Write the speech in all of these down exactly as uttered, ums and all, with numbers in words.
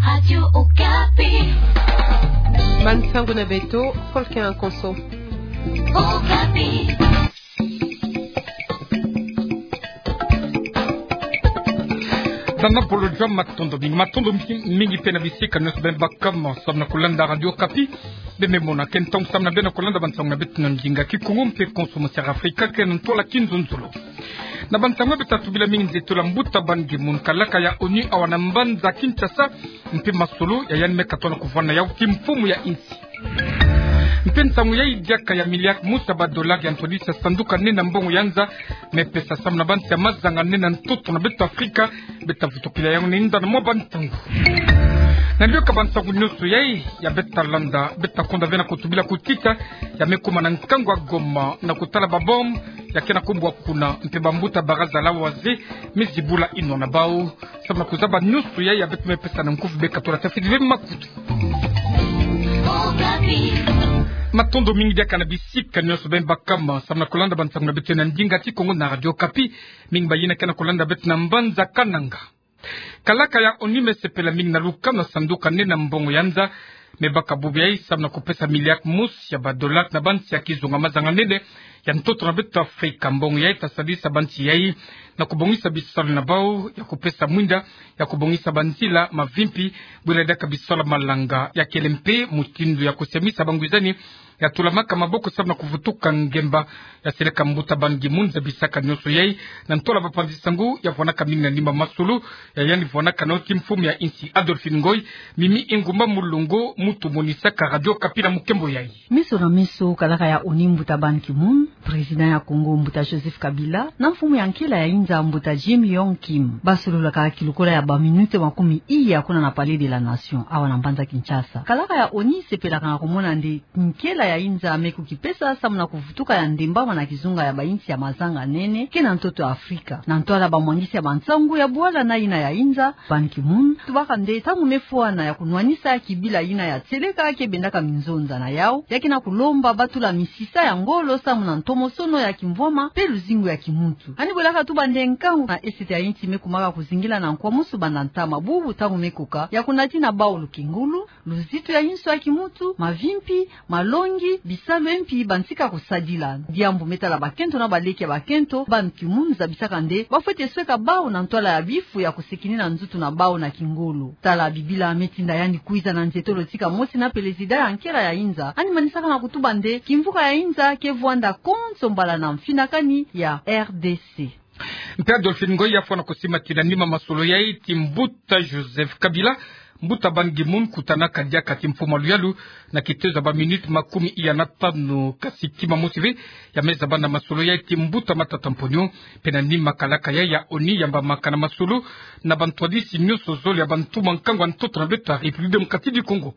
Radio Okapi. Bansangu na beto, Folkin Akonso. Okapi. Zana polo jwa matondo mingi, matondo mingi, mingi pe na bisika nyonso beno baka samu na kulanda Radio Okapi. Beno me mona ke ntangu samu na beno kulanda bansangu na beto na ndinga Kikongo mpe Konso Masiara Afrika, ke na ntwala Kinzonzolo. Na bansangu beto ta tubila mingi nzitula mbuta Ban Ki-moon, kalaka ya ONU awa na mbanza Kinshasa, mpe masolo ya yandi me katola kuvwanda yau kimfumu ya insi. Mpe nsangu ya diaka ya miliaki mosi ya ba dollar ya ntwadisi ya sanduku nene ya mbongo ya nza me pesa samu na bansi ya mazanga nene ya ntoto na beto Afrika, beto ta vutukila yau na inda na mwa bansangu. Na mbiyoka bansangu nyonso yai ya beto ta landa, beto ta konda ve na kutubila kutita ya me kuma na nkangu ya Goma na kutala ba bombe ya ke na kubwa kuna, mpe bambuta baraza la wazee me zibula inwa na bau. Samu na kuzaba nyonso yai ya beto me pesa na nkufi, beka tula tafiti ve makutu. Matondo mingi diaka na bisika nyonso beno baka samu na kulanda bansangu na beto na ndinga Kikongo na Radio Okapi. Mingi bayina ke na kulanda beto na mbanza Kananga. Kalaka ya ONU me sepela mingi na lukanu ya sanduku nene ya mbongo ya nza, me baka bubu yai samu na kupesa miliaki mosi ya ba dollar na bansi ya kizunga mazanga nene ya ntoto na beto Afrika. Mbongo yai ta sadisa bansi yai na kubongisa bisalu na bau ya kupesa mwinda ya kubongisa banzila, mavimpi, bwela diaka bisalu ya malanga, ya kele mpe mutindu ya kusiamisa bangwizani ya tulamaka maboko samu na kuvutuka ngemba. Ya seleka mbuta Ban Ki-moon zabisaka nyonso yai na ntwala bapanzi-nsangu ya vwanaka mingi na nima masolo ya yandi vwanaka nao kimfumu ya insi. Adolphine Ngoy, Mimi Ingumba Mulongo, mutu monisaka Radio Okapi na mukembo yai. Meso na meso, kalaka ya ONU mbuta Ban Ki-moon, président ya Congo mbuta Joseph Kabila, na mfumu ya nkela ya inza mbuta Jim Yong Kim, basololaka kilukola ya ba minute makumi iya kuna na Palais de la Nation, awa na mbanza Kinshasa. Kalaka ya ONU sepelaka na kumona nde nkela ya inza me kukipesa samu na kuvutuka ya ndembama na kizunga ya bainsi ya mazanga nene ke na ntoto ya Afrika. Na ntwala bamwangisi ya bansangu ya bwala na yina ya inza, Ban Ki-moon tubaka nde ntangu me fwana ya kunwanisa kibila yina ya tieleka ke bendaka minzonza na yau, ya ke na kulomba batula misisa ya ngolo samu na ntomosono ya kimvwama mpe luzingu ya kimuntu. Yandi bwelaka tuba nde nkangu na esete ya insi me kumaka kuzingila na nkwamusu banda ntama bubu ntangu me koka ya kunatina bau lukengolo, luzitu ya inso ya kimuntu, mavimpi, malongi, bisalu mpe bantika kusadila. Diambu me tala bakento na baleke ya bakento, Ban Ki-moon zabisaka nde bafwete sweka bau na ntwala ya bifu ya kusekinina nzutu na bau na kingolo. Tala bibila me tinda yandi kwiza na nzietolo tika mosi na pelezida ya nkela ya inza, yandi manisaka na kutuba nde kimvuka ya inza ke vwanda konso mbala na mfinakani ya R D C. Mpe Adolphine Ngoy ya fwana kusimatila nima masolo yai ti mbuta Joseph Kabila, mbuta Ban Ki-moon kutanaka diaka ti mfumu ya luyalu na kitezo ya ba minute makumi iya na tanu, kasi kima mosi ve ya me zaba na masolo yai ti mbuta Matata Mponyo, mpe na nima kalaka yai ya ONU yambamaka na masolo na bantwadisi nyonso zole ya bantu ma nkangu ya ntoto na beto ya République Démocratique du Congo.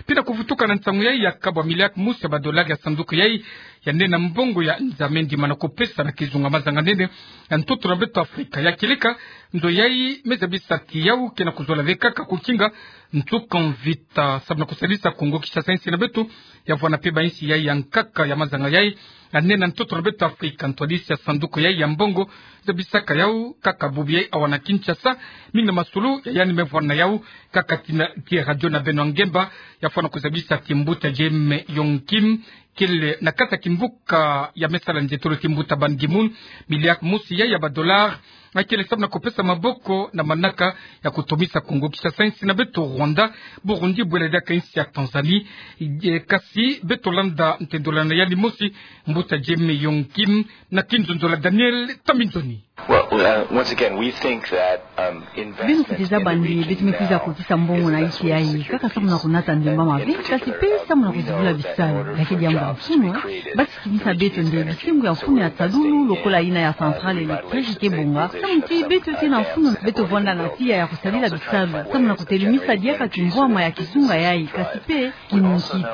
Mpe na kuvutuka na nsangu yai ya kabwa miliaki mosi ya ba dollar ya sanduku yai ya nene ya mbongo ya nza me ndima na kupesa na kizunga mazanga nene ya ntoto na beto Afrika. Ya kieleka, nzo yai me zabisa ti yau ke na kuzola ve kaka kukinga nsuka mvita, samu na kusalisa Congo Kinshasa, insi na beto ya vwana mpe bainsi yai ya nkaka ya mazanga yai ya nene ya ntoto na beto Afrika. Ntwadisi ya sanduku yai ya mbongo zabisaka yau kaka bubu yai awa na Kinshasa, mingi na masolo ya yandi me vwana yau kaka ti na, ti radio na beno ya ngemba, ya fwana kuzabisa ti mbuta Jim Yong Kim kele na kati ya kimvuka ya me sala nzietolo ti mbuta Ban Ki-moon, miliaki mosi yai ya ba dollar akele samu na kupesa maboko na manaka ya kutomisa Congo Kinshasa, insi na beto Rwanda, Burundi, bwela diaka insi ya Tanzanie. E, kasi beto landa ntendolo na yandi mosi, mbuta Jim Yong Kim, na kinzonzolo ya Daniel Tambinzoni. Well, uh, once again, we think that, um, beno kwiza zaba nde beto me kwiza kukisa mbongo na insi yai kaka samu na kunata ndemba mabe, kasi mpe samu na kuzibula bisalu. Ya ke diambu ya mfunu, basi kimisa beto nde bisengo ya mfunu ya talulu lokola yina ya centrale électrique ke bonga, samu ti beto ke na mfunu beto vwanda na tiya ya kusadila bisalu samu na kutelemisa diaka kimvwama ya kizunga yai, kasi mpe kimunkiti.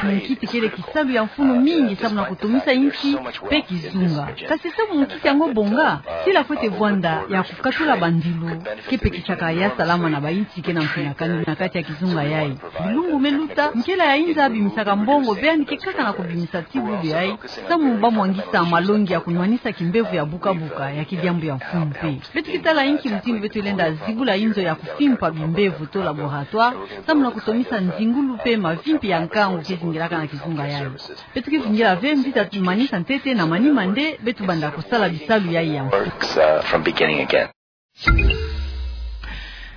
Kimunkiti kele kisalu ya mfunu mingi samu na kutomisa insi mpe kizunga. Kasi samu munkiti yango bonga, sila fwete vwanda ya kukatula bandilu ke pekisaka ya salama na bainsi ke na mfinakani na kati ya kizunga yai. Bilumbu me luta, nkela ya inza abimisaka mbongo, be yandi ke kaka na kubimisa ti bubu yai samu ba mwangisa malongi ya kunwanisa kimbevo ya buka-buka. Ya ke diambu ya mfunu. Beto ke tala inki mutindu beto lenda zibula inzo ya kufimpa bimbevo to laboratoire, samu na kutomisa nzingulu mpe mavimpi ya nkangu ke zingilaka na kizunga yayi. Beto ke vingila ve mvita manisa ntete na manima nde beto banda kusala bisalu yayi ya mfuka.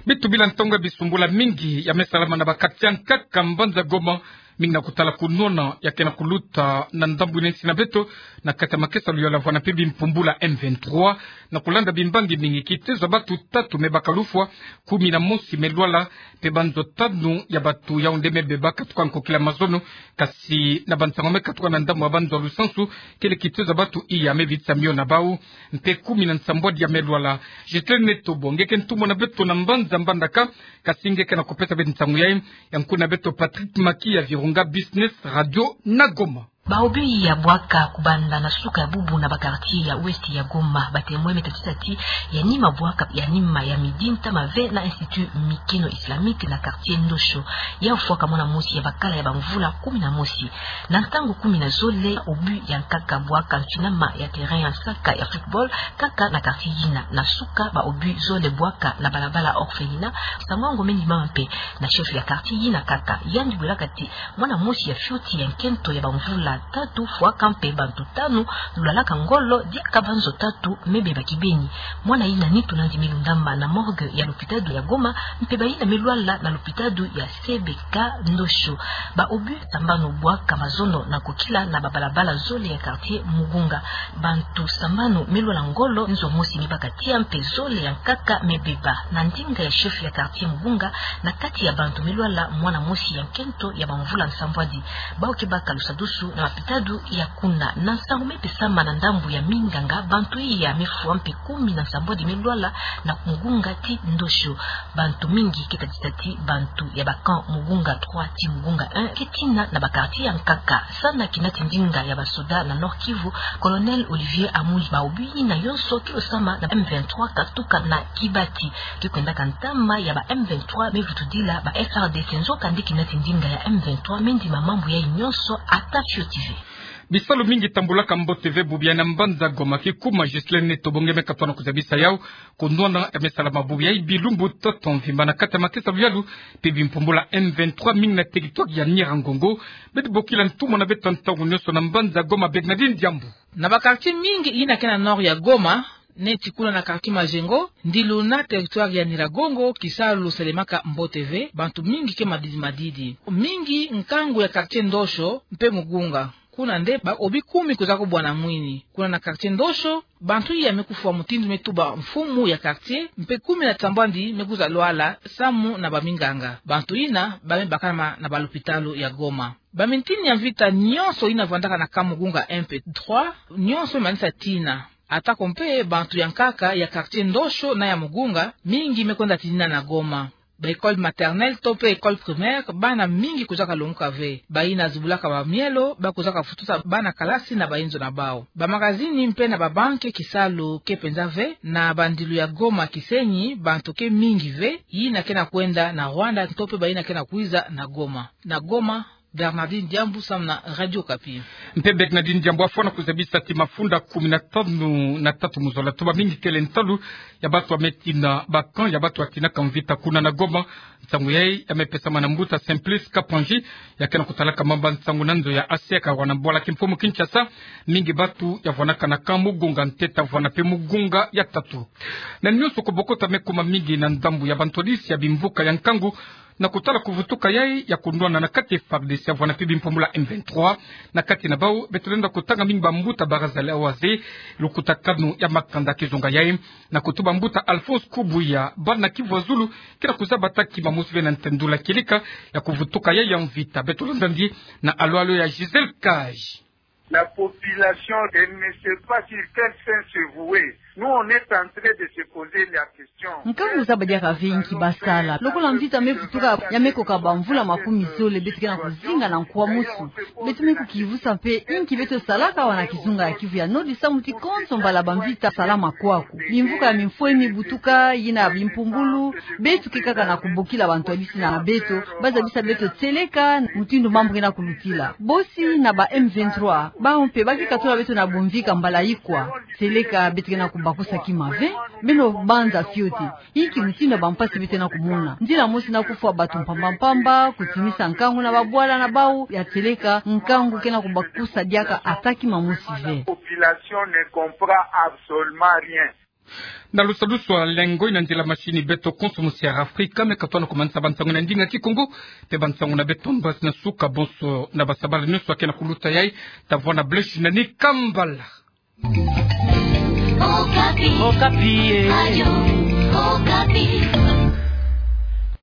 Beto bila ntangu ya bisumbula mingi ya me salama na ba quartier ya nkaka mbanza Goma, mingi na kutala kunwana ya ke na kuluta na ndambu ina nsi na beto, na kati ya makesa luyalu ya vwanda mpe bimpumbulu ya M vingt-trois, na kulanda bimbangi mingi, kitezo ya batu tatu me baka lufwa, kumi na mosi me lwala, mpe banzo tanu ya batu yao nde me beba katuka nkokila mazono. Kasi na bansangu me katuka na ndambu ya banzo ya lusansu, kele kitezo ya batu iya me vitisa mio na bau, mpe kumi na nsambwadi ya me lwala. Ghislaine Tobo, nge ke ntumwa na beto na mbanza Mbandaka, kasi nge ke na kupesa beto nsangu yayi, ya nkuna beto Patrick Maki ya Virunga Business Radio na Goma. Baobi ya bwaka kubanda na suka ya bubu na ba quartier ya ouest ya Goma, ba témoin me tadisa ti ya nima bwaka ya nima ya midi ntama ve na Institut Mikeno Islamique na quartier Ndosho, ya fwaka mwana mosi ya bakala ya bamvula kumi na mosi. Na ntangu kumi na zole, obus ya nkaka bwaka ntinama ya terrain ya nsaka ya football, kaka na quartier yina. Na suka, baobus zole bwaka na balabala orphelinat. Nsangu yango me ndimama mpe na chef ya quartier yina kaka. Yandi bwelaka ti mwana mosi ya fioti ya nkento ya bamvula tatu fwaka mpe bantu tanu lwalalaka ngolo, diaka banzo tatu me beba kibeni. Mwana yina nitu nandi me lundama na morgue ya lopitalo ya Goma, mpe bayina me lwala na lopitalo ya C B K Ndosho. Baobus sambanu bwaka mazono na kokila na babalabala zole ya quartier Mugunga. Bantu sambanu me lwala ngolo, nzo mosi me baka tiya mpe zole ya nkaka me beba. Na ndinga ya chef ya quartier Mugunga, na kati ya bantu me lwala, mwana mosi ya nkento ya bamvula nsambwadi. Bau ke baka lusadusu na mapitalo ya kuna. Na nsangu me pesama na ndambu ya minganga, bantu iya me fwa mpe kumi na nsambwadi me lwala na Mugunga ti Ndosho. Bantu mingi ke tadisa ti bantu ya ba camp Mugunga trois ti Mugunga un ke tina na ba quartier ya nkaka. Sana kinati ndinga ya basoda na Nord-Kivu, Colonel Olivier Amuli, baobus yina yonso ke losama na M vingt-trois katuka na Kibati. Ke kwendaka ntama ya ba M vingt-trois me vutudila ba F R D C, nzoka nde kinati ndinga ya M vingt-trois me ndima mambu yayi yonso ata fioti ve. Bisalu mingi tambulaka mbote ve bubu yayi na mbanza Goma. Kikuma Ghislaine Tobo, nge me katuka na kuzabisa yau kunwana ya me salama bubu yayi bilumbu toto mvimba na kati ya makesa luyalu mpe bimpumbulu ya M vingt-trois, mingi na territoire ya Nyiragongo. Beto bokila ntumwa na beto ntangu yonso na mbanza Goma, Bernardine Diambu. Na ba quartier mingi yina ke na nord ya Goma, neti kuna na quartier Majengo, Ndilu na territoire ya Nyiragongo, kisalu selemaka mbote ve, bantu mingi ke madidi madidi. Mingi nkangu ya quartier Ndosho mpe Mugunga. Kuna nde baobus kumi kwiza kubwana mwini. Kuna na quartier Ndosho, bantu iya me kufwa mutindu me tuba mfumu ya quartier, mpe kumi na nsambwadi me kwiza lwala samu na baminganga. Bantu yina ba me bakama na balopitalo ya Goma. Bamintini ya mvita yonso yina vwandaka na camp Mugunga un mpe trois, yonso me manisa tina. Atako mpe bantu ya nkaka ya quartier Ndosho na ya Mugunga, mingi me kwenda tinina na Goma. Ba école maternelle to mpe école primaire, bana mingi kwizaka longoka ve. Bayina zibulaka bamielo, ba kwizaka futusa bana kalasi na bayinzo na bau. Ba magazini mpe na ba banque, kisalu ke penza ve. Na bandilu ya Goma Kisenyi, bantu ke mingi ve, yina ke na kwenda na Rwanda, to mpe bayina ke na kwiza na Goma. Na Goma, Bernardine Diambu samu na Radio Okapi. Mpe Bernardine Diambu afwana kuzabisa ti mafunda kumi na tanu na tatu mu zola, tuba mingi kele nsalu ya bantu ya me tina ba camp ya bantu ya tinaka mvita kuna na Goma. Nsangu yayi ya me pesama na mbuta Simplice Kapanji, ya ke na kutalaka mambu ya nsangu na nzo ya A C K wana bwala kimfumu Kinshasa. Mingi bantu ya vwanaka na camp Mugunga ntete vwana mpe Mugunga ya tatu. Na yonso kubokota me kuma mingi na ndambu ya bantwadisi ya bimvuka ya nkangu, na kutala kuvutuka yayi ya kunwana na kati F A R D C ya vwana mpe bimpumbulu ya M vingt-trois, na kati na bau beto lenda kutanga mingi bambuta Barazale Awaze, lukutakanu ya makanda kizunga yayi, na kutuba mbuta Alphonse Kubuya, bana Kivu ya Zulu ke na kuzaba ta kima mosi ve na ntendula kieleka ya kuvutuka yayi ya mvita. Beto lenda ndi na alo-alo ya Gisèle Kaj. La population, elle ne sait pas sur quel saint se vouer. Nous, on est en train de se poser la question. Nkangu zaba diaka ve inki basala. Lokola mvita me vutuka ya me koka bamvula makumi zole, beto ke na kuzinga na nkwa mosi. Beto me kukivusa mpe inki beto salaka awa na kizunga ya Kivu ya Nord samu ti konso mbala bamvita salama kwaku. Bimvuka ya mimfweni butuka, yina bimpumbulu, beto ke kaka na kubokila bantwadisi na beto, ba zabisa beto tieleka mutindu mambu ke na kulutila. Bosi na ba M vingt-trois, bau mpe ba ke katula beto na bumvika mbala ikwa. Tieleka beto ke na ku- Bakusa kima ve, beno banza fioti. Inki mutindu ya bampasi bete na kumona. Nzila mosi na kufwa bato mpamba mpamba, kutimisa nkangu na babwala na bau, ya tieleka nkangu ke na kubakusa diaka ata kima mosi ve. Population ne comprend absolument rien. Na lusalusu a lengo ina nzila masini beto konso musi ya Afrika, me katwa na kumanisa bansangu na ndinga Kikongo, mpe bansangu na beto mbasi na suka bonso na basabala nyonso ya ke na kuluta yai, ta vwa na Blaise na ni kambala. Okapi. Okapi, eh. Radio Okapi.